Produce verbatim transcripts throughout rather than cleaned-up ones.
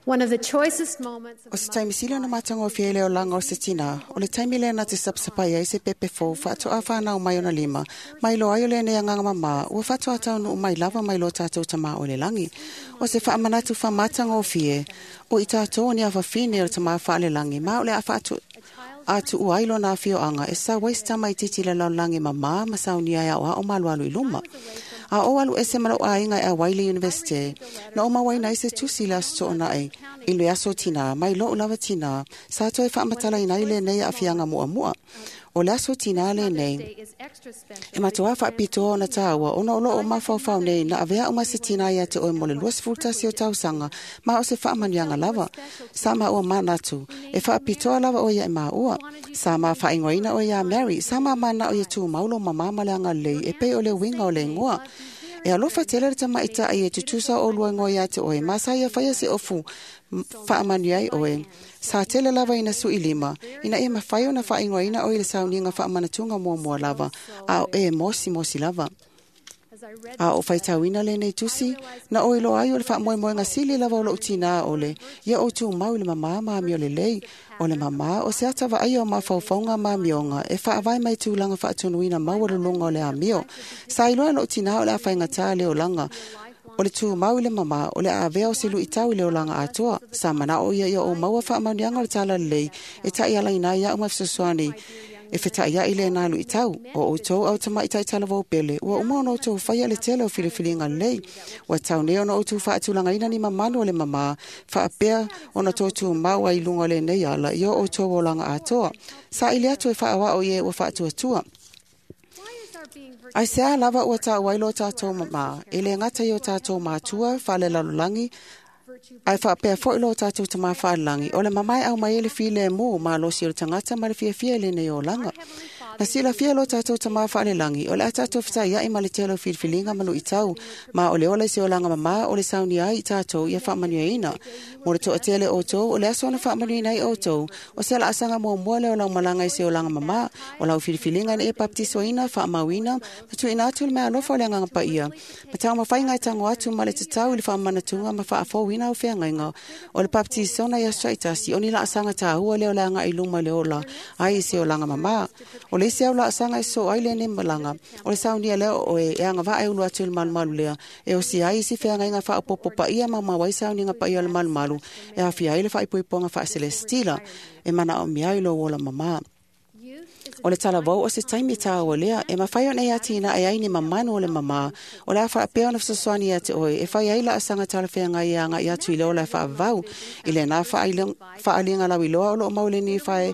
One of the choicest moments of O se taimi sili ona matagofie i le olaga o se tinā, o le taimi lea na te sapasapai ai se pepe fou faatoa fanau mai ona lima, ma iloa ai o lenei agaga mamā, ua faatoa taunuu mai lava mai lo tatou Tamā o i le lagi. O se faamanatu faamatagofie, o i tatou o ni afafine o le Tamā faalelagi, ma o le a faatu atuua ai lona afioaga e sau ai se tamaitiiti i le lalolagi mamā ma saunia e aoao ma alualu i luma. A ou alu ese ma lou aiga e auai le Iunivesite, na ou mauaina ai se tusi i le aso Toonai i le aso tinā mai lo'u lava tinā, sa toe faamatalaina ai lenei aafiaga muamua. O le aso tinā lenei, Day is extra special. e matuā faapitoa ona tāua ona o loo mafaufau nei na avea uma se tinā ia te oe mo le luasefulu tasi o tausaga ma o se faamanuiaga lava. Sa maua manatu, e faapitoa lava oe ia i maua. Sa ma faaigoaina oe iā Mary, sa ma manao ia tumau lou mamā ma le agalelei e pei o le uiga o le igoa. E alofa tele le tamaita'i e tutusa o olua igoa ia te oe, ma sa ia faia se ofu faamanuia ai oe. Sa tele lava ina su'i lima, ina ia mafai ona faaigoaina oe i le sauniga faamanatuga muamua lava, a o e mosimosi lava. As I read A o faitauina lenei tusi, na ou iloa ai o le faamoemoega sili lava o lou tinā o le, ia ou tumau i le mamā ma amio lelei. O le mamā o se ata vaaia o mafaufauga ma amioga e faavae mai tulaga faatonuina maualuluga o le amio. Sa iloa e lou tinā o le a faigata le olaga, o le tumau i le mamā o le a avea o se luitau i le olaga atoa. Sa manao ia ia ou maua faamanuiaga o le talalelei e taialaina ai iaʻu ma fesoasoani e fetaʻiaʻi lenā luitau. O outou au tamaʻitai talavou pele, ua uma ona outou faia le tele o filifiliga lelei. Ua tau nei ona outou faatulagaina ni mamalu o le mamā, faapea ona tou tumau ai i luga o lenei ala i o outou olaga atoa. Saili atu e faaoao i e ua faatuatua. Why is our being virtuous Aisea lava ua taua ai lo tatou mamā, e le gata i o tatou matua faalelalolagi, virtue ae faapea foi lo tatou Tamā faalelagi, o le mamā e aumai ai le filemu malosi o le tagata ma le fiafia i lenei olaga. Na silafia lo tatou Tamā faalelagi, o le a tatou fetaiai ma le tele o filifiliga ma luitau, ma o le ola i se olaga mamā o le saunia ai i tatou ia faamanuiaina. Mo le toatele o outou, o le aso na faamanuiaina ai outou, o se laasaga muamua lea o lau malaga i se olaga mamā, o lau filifiliga ina ia bapetisoina, faamauina, ma tuuina atu le meaalofa o le Agaga Paia, ma taumafaiga e tago atu ma le tatau i le faamanatuga ma faafouina au feagaiga. O le baptisona i aso taitasi, o ni laasaga tāua lea o le agai i luma i le ola ai i se olaga mamā. O le isi au laasaga e sosoo ai lenei malaga, o le saunia lea o oe e agavaa e ulu atu i le malumalu lea, e osia ai isi feagaiga faaopoopo paia ma mau ai sauniga paia o le malumalu, e aofia ai le faaipoipoga faaselesitila, e manaomia ai lou ola mamā. Youth is O le talavou o se taimi tāua lea, e mafai ona e atinae ai ni mamanu o le mamā, o le a faapea ona fesoasoani ia te oe, e fai ai laasaga talafeagai e agaʻi atu i le ola e faavavau, i lenā faaaliga lauiloa o loo mau i le Nifae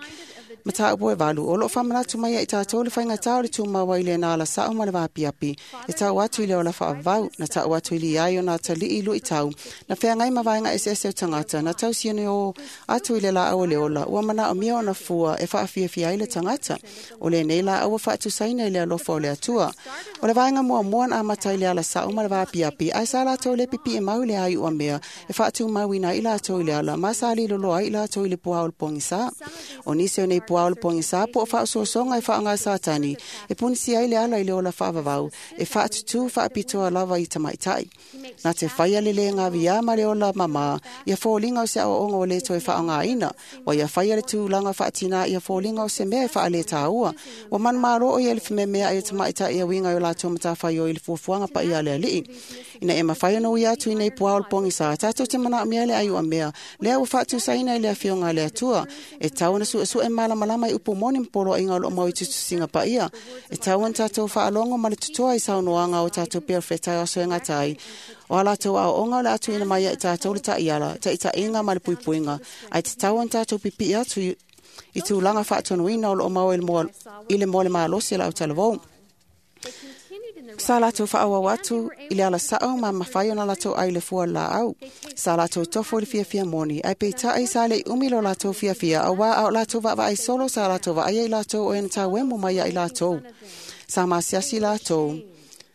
mataupu e valu, o loo faamanatu mai ai tatou le faigatā o le tumau ai i lenā alasao ma le vaapiapi, e tau atu i le ola faavavau, na tau atu i liai o nā talii luitau, na feagai ma vaega eseese o tagata, na tausiani o atu i le laau o le ola, ua manaomia ona fua e faafiafia ai le tagata. O lenei laau ua faatusaina i le alofa o le Atua. O le vaega muamua na amata i le alasao ma le vaapiapi, ae sa latou le pipii mau i le aiuamea e faatumauina ai latou i le ala, ma sa liloloa ai latou i le puā o le pogisā. O nisi o nei puā o le pogisā po o faaosoasoga e faaaogā Satani, e punisia ai le ala i le ola faavavau, e faatutū faapitoa lava i tamaitai. Na te faia le le gaviā ma le ola mamā, ia foliga o se aoaoga ua le toe faaaogāina, ua ia faia le tulaga faatinā ia foliga o se mea e faalētāua. Ua manumalo o ia i le fememeai o tamaitai e uiga i o latou matafaioi i le fuafuaga paia a le Alii. Ina ia mafai ona uia atu i nei puā o le pogisā, tatou te manaomia le aiuamea, lea ua faatusaina i le afioga a le Atua. E tau ona suesue malamalama i upu moni ma poloaiga o loo mau i tusitusiga paia. E tau ona tatou faalogo ma le totoa i saunoaga o tatou perofeta e aso e gata ai. O a latou aoaoga o le a tuuina mai ia i tatou le taiala, taitaiga ma le puipuiga, ae tatau ona tatou pipii atu i, i tulaga faatonuina o loo mau i le moa, i le moa le malosi o le autalavou. They continued in the Sa latou faaauau atu i le alasao ma mafai ona latou ai le fua o le laau. Sa latou tofo i le fiafia moni, ae peitai sa leʻi umi lo latou fiafia, auā a o latou vaavaai solo sa latou vaaia i latou o e na tauemo mai ia i latou. Sa masiasi latou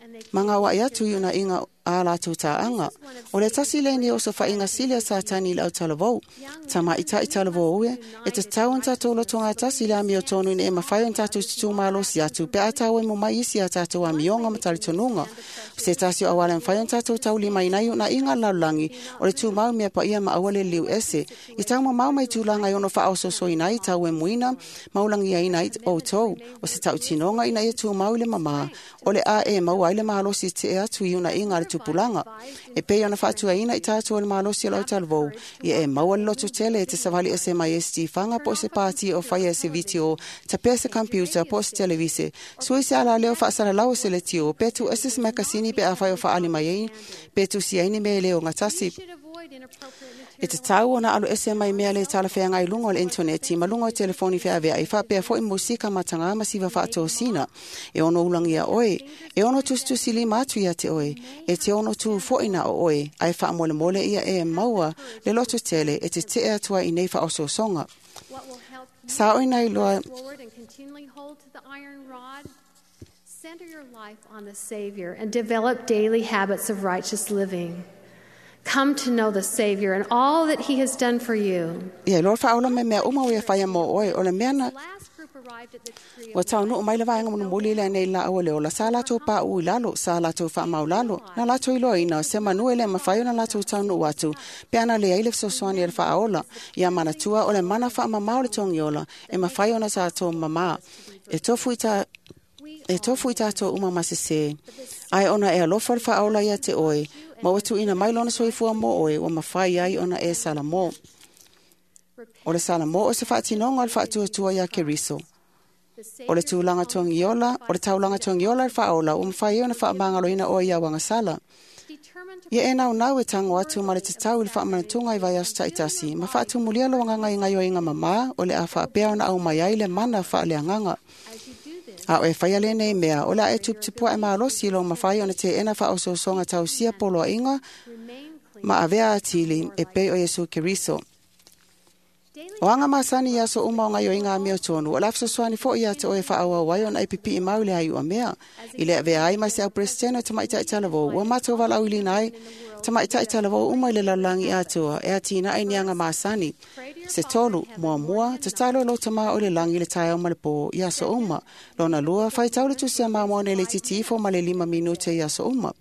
and they ma gauaʻi atu i unaiga a latou tā'aga. O le tasi lenei o sofa'iga sili a Satani i le autalavou. Tamaʻitaʻi talavou e, e tatau ona tatou lotogatasi i le amiotonu ina e mafai ona tatou tutumalosi atu pe a tauemu mai isi a tatou amioga ma talitonuga. O se tasi o auala e mafai ona tatou taulimaina ai uunaiga a le lalolagi, o le tumau i mea paia ma aua le liliu ese. I taumamao mai tulaga e ono faaosoosoina ai tauemuina ma ulagiaina ai outou. O se tautinoga ina ia tumau i le mamā, o le a e maua ai le malosi e te'e atu i uunaiga a le tupulaga. E pei ona faatuaina i tatou e le malosi o le autalavou, ia e maua le loto tele e te savali ese mai ai se tifaga po o se pati o faia e se vitio, tapea se kampiuta po o se televise, sui se alaleo faasalalau o se letio, pe tuuese se makasini pe afai o faaali mai ai, pe tusi ai ni mea e le ogatasi. You should avoid inappropriate E material tatau ona alu ese mai mea le talafeagai i luga o le intaneti ma luga o telefoni feavea'i faapea fo'i musika matagā ma siva faatosina. E ono ulagia oe, e ono tusitusilima atu ia te oe, e te ono tu fo'i na o oe, ae faamolemole ia e maua le loto tele e tete'e atu ai i nei faaosoosoga. What will help you Saoina iloa press forward and continually hold to the iron rod? Center your life on the Savior and develop daily habits of righteous living. Come to know the Savior and all that He has done for you. ia iloa le faaola mai mea uma ua ia faia mo oe, o le mea na The last group arrived at the tree Ua of taunuu mai le vaega mulimuli lea nei laau o le ola, sa latou paʻu i lalo, sa latou faamaulalo, na latou iloaina se manu e le mafai ona latou taunuu atu, pe ana leai le fesoasoani a le faaola. Ia manatua o le mana faamamā o le togiola, e mafai ona tatou mamā. E tofu i ta We E tofu i tatou uma ma sesē. Ae ona e alofa le faaola ia te oe, ma ua tuuina mai lona soifua mo oe, ua mafai ai ona e salamō. O le salamō o se faatinoga o le faatuatua iā Keriso. the O le Savior's tulaga togiola, o le taulaga togiola le faaola, ua mafai ai ona faamagaloina oe ia uagasala. determined to Ia e naunau e tago atu ma le tatau i le faamanatuga i vaiaso taʻitasi, ma faatumulia lo agaga i gaioiga mamā, o le a faapea ona aumai ai le mana faaleagaga. as you do this A o e faia lenei mea, o le a e tuputupuaʻe malosi i lou mafai ona teʻena faaosoosoga tausia poloaʻiga remain clean ma avea atili e pei o Iesu Keriso. daily O aga masani i aso uma o gaioiga amiotonu, o le a fesoasoani foʻi ia te oe faaauau ai ona e pipiʻi mau i le aiua mea. I le avea ai ma se au Peresetene o tamaʻitaʻi talavou, ua matou valaauiliina ai tamaʻitaʻi talavou uma i le lalolagi atoa e atinaʻe ni aga masani. Se tolu, muamua, tatalo i lou tamā o i le lagi i le taeao ma le pō i aso uma. Lona lua, faitau le tusi a Mamoa nei le itiiti ifo ma le lima minute i aso uma.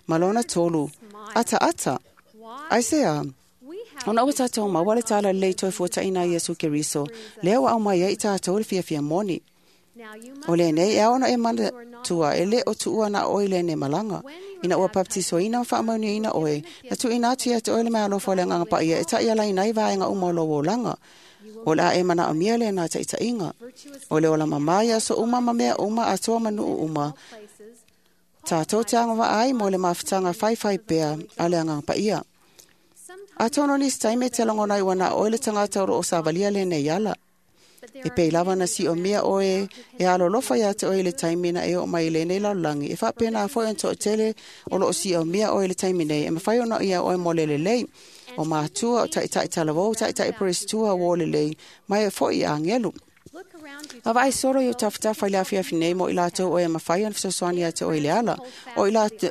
Ma lona tolu, ataata, why aisea, we have ona ua tatou maua le tala lelei toe fuataʻina ai Iesu Keriso, lea ua aumai ai i tatou le fiafia moni. now you must O lenei e ao ona e manatua e lē o tuua na oe i lenei malaga. Ina ua baptisoina ma faamanuiaina oe, na tuuina atu ia te oe le meaalofa o le agaga paia e taʻialaina ai vaega uma o lou olaga. O le a e manaomia lenā taʻitaʻiga. virtuous O le ola mamā ia aso uma ma mea uma atoa ma nuu uma. places Tatou te agavaa ai mo le mafutaga faifai pea a le agaga paia. sometimes Atonu nisi taimi e te lagona ai ua na oe le tagata o loo savalia lenei ala. but there E are pei lava na siomia oe e alolofa ia te oe i le taimi na e oo mai i lenei lalolagi. E faapena foi ona toʻatele o loo siomia oe i le taimi nei. E mafai ona ia oe mo le lelei. O matua o taʻitaʻi talavou, taʻitaʻi perestua uō lelei, ma e foʻi i agelu. look around you Vaavaai solo i o tafatafa i le afiafi nei mo i latou o e mafai ona fesoasoani ia te oe i le ala. O i latou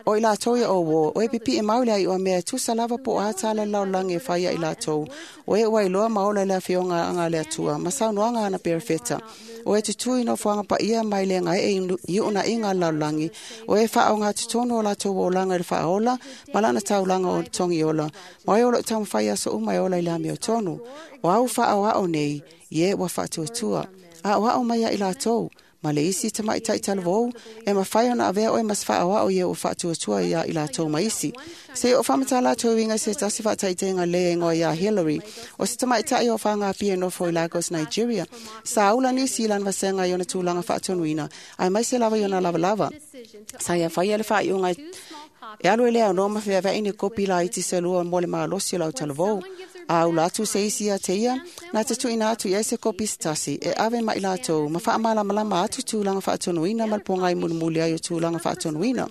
O i latou ia o uō, o e pipiʻi mau le aiʻu a mea e tusa lava po o a tala le lalolagi e faia i latou. O e ua iloa ma ola i le afioga aga a le Atua, ma saunoaga ana perefeta. O e tutū i nofoaga paia mai le gaeʻe i uunaiga a le lalolagi. O e faaogatotonu o latou olaga i le faaola, ma lana taulaga o togiola. Ma oe o loo taumafai aso uma e ola i le amiotonu. O au faaoao nei, ie ua faatuatua. Aʻoaʻo mai ia i latou, ma le isi tamaʻitaʻi talavou, e mafai ona avea oe ma se faaoao ia ua faatuatua ia i latou ma isi. Se i o faamatala atu e uiga i se tasi faataitaiga lē e igoa iā Hillary, o se tamaʻitaʻi o fagapia e nofo i Lagos, Nigeria. Sa ula nisi i lana vasega i ona tulaga faatonuina, ae maise lava i ona lavalava. decision to Sa ia faia le faaiuga two small copies e alu e le aunoa ma feaveaʻi ni kopi laiti se lua mo le malosi o le autalavou. A ula atu se isi ia te ia, na te tuuina atu i ai se kopi se tasi, e ave ma i latou, ma faamalamalama atu tulaga faatonuina ma le pogai mulimuli ai o tulaga faatonuina.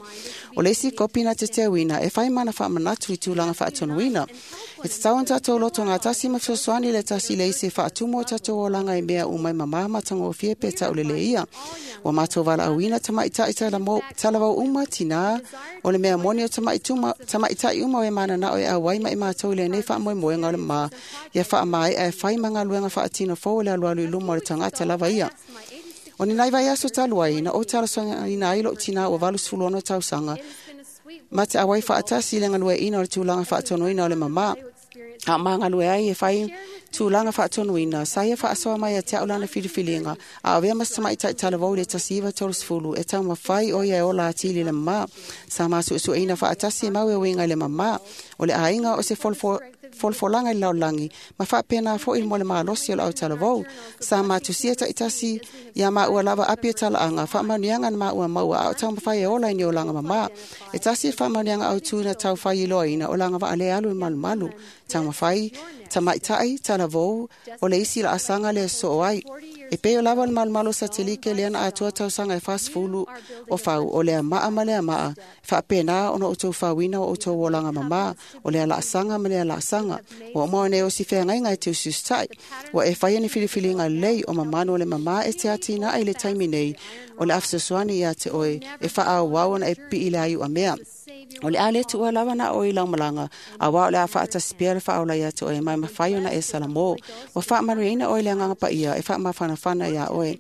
O le isi kopi na te teuina e fai mana faamanatu i tulaga faatonuina. E tatau ona tatou loto gatasi ma fesoasoani le tasi le isi e faatumu o tatou olaga i mea uma e mamā ma tagofie pe tauleleia. Ua matou valaauina tamaʻitaʻi talavou uma tinā o le mea moni o tamaʻitaʻi uma o e mananao e auai ma i matou i lenei faamoemoega o le mamā ia faamaea e fai ma galuega faatino fou o le alualu i luma o le tagata lava ia. O ni nai vaiaso talu ai na ou talosagaina ai lou tinā ua valusefulu ono tausaga ma te auai faatasi i le galueaiina o le tulaga faatonuina o le mamā. A o magalue ai e fai tulaga faatonuina, sa ia faasoa mai ia te au lana filifiliga, a avea ma se tamaʻitaʻi talavou i le tasi iva tolusefulu e taumafai o ia e ola atili i le mamā. Sa masuesueina faatasi e mau e uiga i le mamā, o le aiga o se folafolaga i le lalolagi, ma faapena foʻi mo le malosi o le autalavou. Sa matusia taʻitasi ia maua lava api o talaaga, faamanuiaga na maua maua a o taumafai e ola i ni olaga mamā. E tasi le faamanuiaga autū na taufai iloaina o laga vaa le alu i malumalu. Taumafai tamaʻitaʻi talavou o le isi laasaga le soo ai. E pei o lava le malumalu o satelike lea na atoa tausaga e fasefulu o fau o lea maa ma lea maa, faapena ona outou fauina o outou olaga mamā, o lea laasaga ma lea laasaga. Ua uma ona e osi feagaiga e te usiusitaʻi. Ua e faia ni filifiliga lelei o mamanu o le mamā e te atinae i le taimi nei o le a fesoasoani ia te oe e faaauau ona e pipii le aiuamea. O le a le tuua lava na oe i laumalaga, auā o le a faatasi pea le faaola ia te oe mai mafai ona e salamo. Ua faamanuiaina oe le agaga paia e faamafanafana iā oe.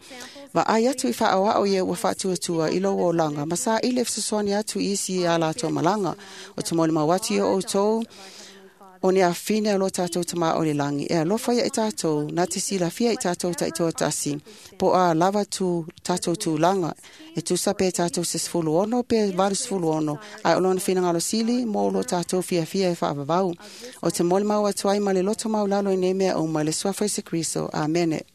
Vaai atu i faaoao ia ua faatuatua i lou olaga ma saili e fesoasoani atu i isi ia latou malaga. O te molimau atu ia outou o ni afine o lo tatou tamā o le lagi e alofa ia i tatou na te silafia i tatou taitoatasi po a lava tu tatou tulaga e tusa pe tatou se sefulu ono pe valusefulu ono ae o lona finagalo sili mo lo tatou fiafia e faavavau. O te molimau atu ai ma le loto maulalo i nei mea uma i le suafa o Iesu Kriso. Amene.